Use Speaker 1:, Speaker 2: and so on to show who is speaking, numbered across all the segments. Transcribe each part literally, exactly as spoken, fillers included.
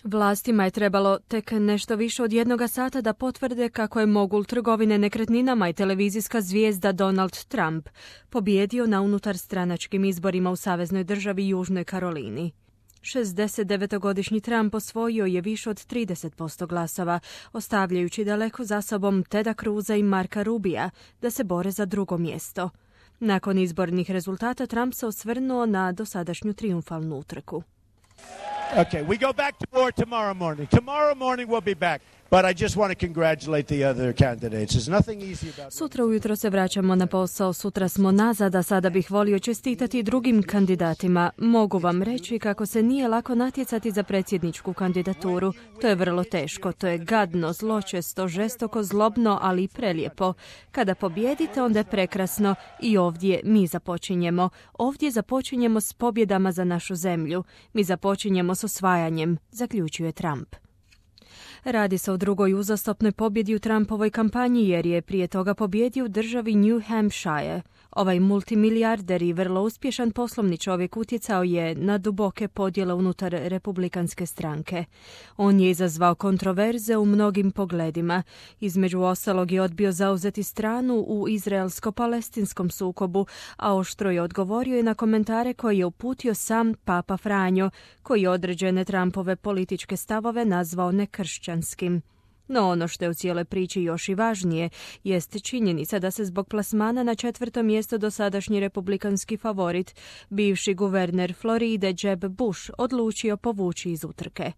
Speaker 1: Vlastima je trebalo tek nešto više od jednoga sata da potvrde kako je mogul trgovine nekretninama i televizijska zvijezda Donald Trump pobijedio na unutarstranačkim izborima u saveznoj državi Južnoj Karolini. šezdesetdevetogodišnji Trump osvojio je više od trideset posto glasova, ostavljajući daleko za sobom Teda Cruza i Marka Rubija da se bore za drugo mjesto. Nakon izbornih rezultata Trump se osvrnuo na dosadašnju trijumfalnu utrku.
Speaker 2: Okay, we go back to war tomorrow morning. Tomorrow morning we'll be back. But I just want to congratulate the other candidates. There's nothing easy about it.
Speaker 1: Sutra ujutro se vraćamo na posao, sutra smo nazad, a sada bih volio čestitati drugim kandidatima. Mogu vam reći kako se nije lako natjecati za predsjedničku kandidaturu. To je vrlo teško, to je gadno, zločesto, žestoko, zlobno, ali i prelijepo. Kada pobjedite, onda je prekrasno i ovdje mi započinjemo. Ovdje započinjemo s pobjedama za našu zemlju. Mi započinjemo s osvajanjem, zaključuje Trump. Radi se o drugoj uzastopnoj pobjedi u Trumpovoj kampanji jer je prije toga pobjedio u državi New Hampshire. Ovaj multimilijarder i vrlo uspješan poslovni čovjek utjecao je na duboke podjele unutar republikanske stranke. On je izazvao kontroverze u mnogim pogledima. Između ostalog je odbio zauzeti stranu u izraelsko-palestinskom sukobu, a oštro je odgovorio i na komentare koje je uputio sam Papa Franjo, koji je određene Trumpove političke stavove nazvao nekršćanskim. No ono što je u cijeloj priči još i važnije jest činjenica da se zbog plasmana na četvrto mjesto dosadašnji republikanski favorit, bivši guverner Floride Jeb Bush, odlučio povući iz utrke.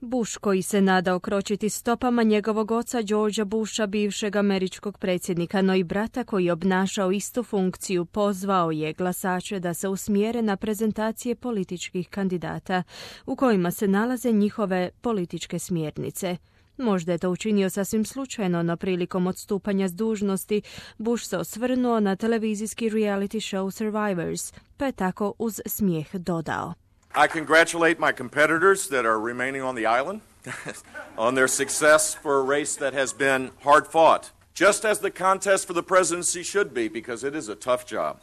Speaker 1: Bush, koji se nadao kročiti stopama njegovog oca Georgea Busha, bivšeg američkog predsjednika, no i brata koji je obnašao istu funkciju, pozvao je glasače da se usmjere na prezentacije političkih kandidata u kojima se nalaze njihove političke smjernice. Možda je to učinio sasvim slučajno, no prilikom odstupanja s dužnosti Bush se osvrnuo na televizijski reality show Survivors, pa je tako uz smijeh dodao:
Speaker 3: I congratulate my competitors that are remaining on the island on their success for a race that has been hard fought, just as the contest for the presidency should be, because it is a tough job.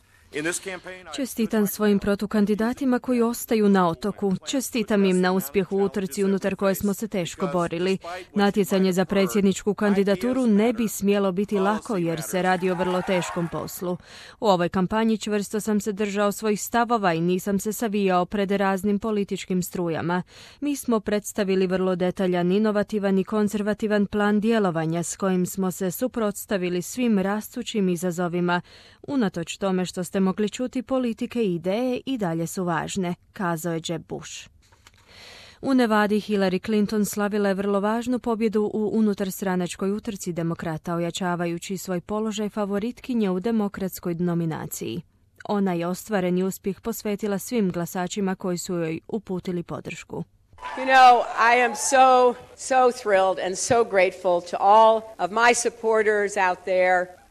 Speaker 1: Čestitam svojim protukandidatima koji ostaju na otoku. Čestitam im na uspjehu u utrci unutar koje smo se teško borili. Natjecanje za predsjedničku kandidaturu ne bi smjelo biti lako jer se radi o vrlo teškom poslu. U ovoj kampanji čvrsto sam se držao svojih stavova i nisam se savijao pred raznim političkim strujama. Mi smo predstavili vrlo detaljan, inovativan i konzervativan plan djelovanja s kojim smo se suprotstavili svim rastućim izazovima. Unatoč tome što ste mogli čuti, politike i ideje i dalje su važne, kazao je Jeb Bush. U Nevadi Hillary Clinton slavila je vrlo važnu pobjedu u unutarstranačkoj utrci demokrata, ojačavajući svoj položaj favoritkinje u demokratskoj nominaciji. Ona je ostvareni uspjeh posvetila svim glasačima koji su joj uputili podršku.
Speaker 4: You know, I am so, so thrilled and so grateful to all of my supporters out there.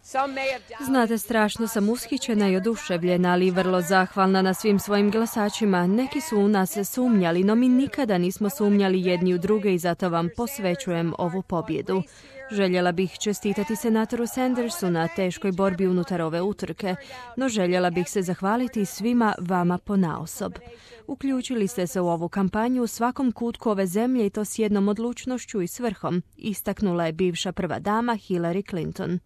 Speaker 1: Znate, strašno sam ushićena i oduševljena, ali vrlo zahvalna na svim svojim glasačima. Neki su u nas sumnjali, no mi nikada nismo sumnjali jedni u druge i zato vam posvećujem ovu pobjedu. Željela bih čestitati senatoru Sandersu na teškoj borbi unutar ove utrke, no željela bih se zahvaliti svima vama ponaosob. Uključili ste se u ovu kampanju u svakom kutku ove zemlje i to s jednom odlučnošću i svrhom, istaknula je bivša prva dama Hillary Clinton.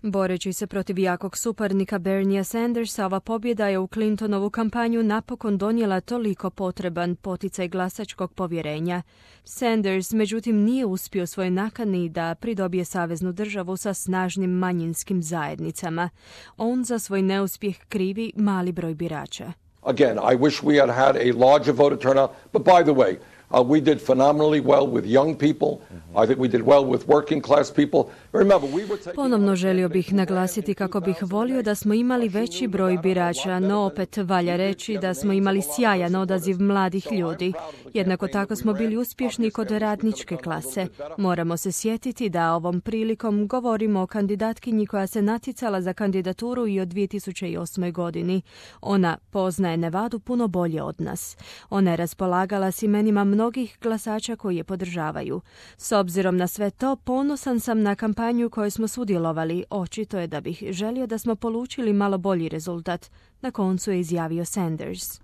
Speaker 1: Boreći se protiv jakog suparnika Berniea Sandersa, ova pobjeda je u Clintonovu kampanju napokon donijela toliko potreban poticaj glasačkog povjerenja. Sanders, međutim, nije uspio svoj nakani da pridobije saveznu državu sa snažnim manjinskim zajednicama. On za svoj neuspjeh krivi mali broj birača.
Speaker 5: Again, I wish we had had a larger voter turnout, but by the way, Uh, we did phenomenally well with young people. Mm-hmm. I think we did well with working class people. Remember, we were taking...
Speaker 1: Ponovno želio bih naglasiti kako bih volio da smo imali veći broj birača, no opet valja reći da smo imali sjajan odaziv mladih ljudi. Jednako tako smo bili uspješni kod radničke klase. Moramo se sjetiti da ovom prilikom govorimo o kandidatkinji koja se natjecala za kandidaturu i od dvije tisuće osme. godini. Ona poznaje Nevadu puno bolje od nas. Ona je raspolagala s imenima mnogih glasača koji je podržavaju. S obzirom na sve to, ponosan sam na kampanju kojoj smo sudjelovali. Očito je da bih želio da smo polučili malo bolji rezultat. Na koncu je izjavio Sanders.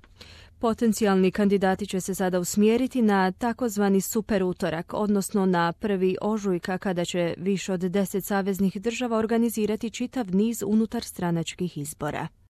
Speaker 1: Potencijalni kandidati će se sada usmjeriti na takozvani super utorak, odnosno na prvi ožujka kada će više od deset saveznih država organizirati čitav niz unutarstranačkih izbora.